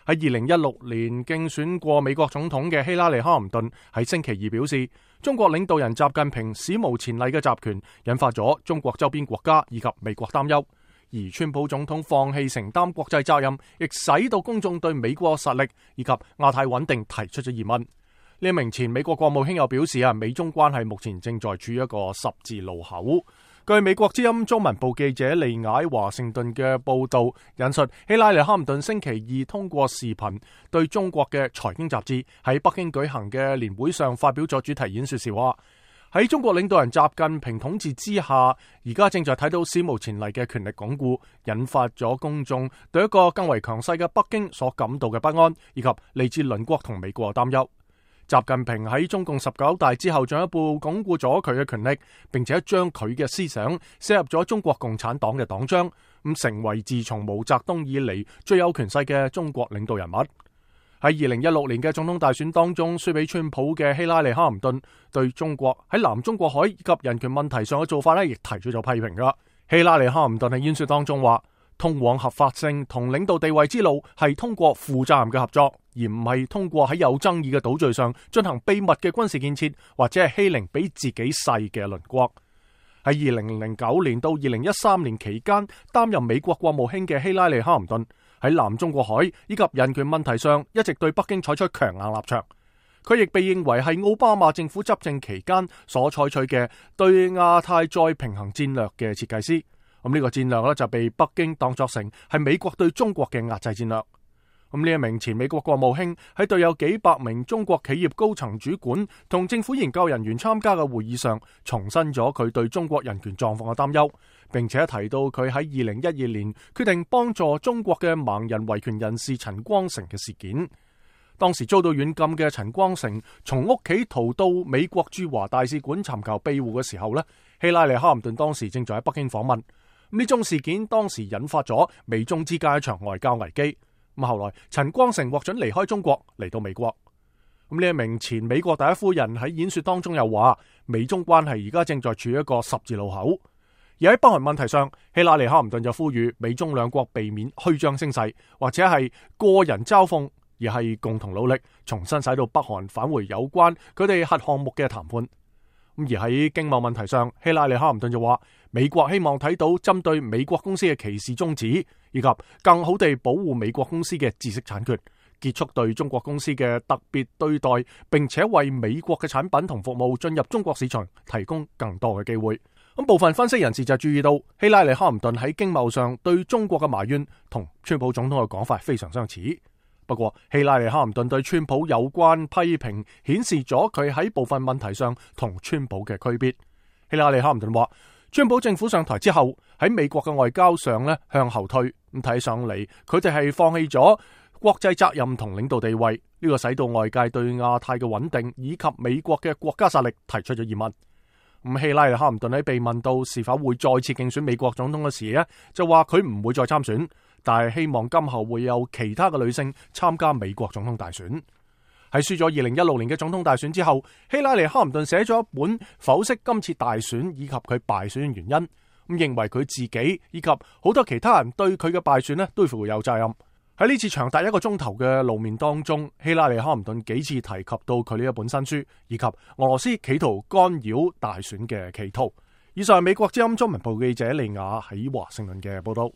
喺2016年競選過美國總統嘅希拉里·哈林頓喺星期二表示，中國領導人習近平史無前例嘅集權引發咗中國周邊國家以及美國擔憂，而川普總統放棄承擔國際責任，亦使到公眾對美國實力以及亞太穩定提出咗疑問。呢一名前美國國務卿又表示美中關係目前正在處於一個十字路口。據美國之音中文部記者利雅喺華盛頓嘅報道引述，希拉里·哈林頓星期二通過視頻對中國嘅財經雜誌喺北京舉行嘅年會上發表咗主題演說時話，喺中國領導人習近平統治之下，而家正在睇到史無前例嘅權力鞏固，引發咗公眾對一個更為強勢嘅北京所感到嘅不安，以及嚟自鄰國同美國嘅擔憂。習近平喺中共19大之後進一步鞏固咗佢嘅權力，並且將佢嘅思想寫入咗中國共產黨嘅黨章，咁成為自從毛澤東以嚟最有權勢嘅中國領導人物。喺2016年嘅總統大選當中輸俾川普嘅希拉里·哈林頓對中國喺南中國海以及人權問題上嘅做法亦提出咗批評噶。希拉里·哈林頓喺演說當中話，通往合法性同領導地位之路係通過負責任嘅合作，而唔係通過喺有爭議嘅島嶼上進行秘密嘅軍事建設，或者係欺凌比自己細嘅鄰國。喺2009年到2013年期間擔任美國國務卿嘅希拉里·哈林頓喺南中國海以及人權問題上一直對北京採取強硬立場。佢亦被認為係奧巴馬政府執政期間所採取嘅對亞太再平衡戰略嘅設計師。呢個戰略就被北京當作成係美國對中國嘅壓制戰略。呢一名前美國國務卿喺對有幾百名中國企業高層主管同政府研究人員參加嘅會議上，重申咗佢對中國人權狀況嘅擔憂，並且提到佢喺2012年決定幫助中國嘅盲人維權人士陳光誠嘅事件。當時遭到軟禁嘅陳光誠從屋企逃到美國駐華大使館尋求庇護嘅時候希拉里·哈林頓當時正在喺北京訪問。呢宗事件當時引發咗美中之間一場外交危機。後來陳光誠獲准離開中國嚟到美國。呢一名前美國第一夫人喺演說當中又話，美中關係而家正在處於一個十字路口。而喺北韓問題上，希拉里·哈林頓就呼籲美中兩國避免虛張聲勢，或者係個人嘲諷，而係共同努力，重新使到北韓返回有關佢哋核項目嘅談判。而喺經貿問題上，希拉里·哈林頓就話，美國希望睇到針對美國公司嘅歧視終止，以及更好地保護美國公司嘅知識產權，結束對中國公司嘅特別對待，並且為美國嘅產品同服務進入中國市場提供更多嘅機會。部分分析人士就注意到，希拉里·哈林頓喺經貿上對中國嘅埋怨同川普總統嘅講法非常相似。不過，希拉里·哈林頓對川普有關批評，顯示咗佢喺部分問題上同川普嘅區別。希拉里·哈林頓話，川普政府上台之後，喺美國嘅外交上向後退，咁睇上嚟佢哋係放棄咗國際責任同領導地位，呢個使到外界對亞太嘅穩定以及美國嘅國家實力提出咗疑問。希拉里·哈林頓喺被問到是否會再次競選美國總統嘅時就話佢唔會再參選，但係希望今後會有其他嘅女性參加美國總統大選。喺輸咗2016年嘅總統大選之後，希拉里·哈林頓寫咗一本剖析今次大選以及佢敗選嘅原因，認為佢自己以及好多其他人對佢嘅敗選都負有責任。喺呢次長達1個鐘頭嘅露面當中，希拉里·哈林頓幾次提及到佢呢一本新書，以及俄羅斯企圖干擾大選嘅企圖。以上係美國之音中文部記者利雅喺華盛頓嘅報道。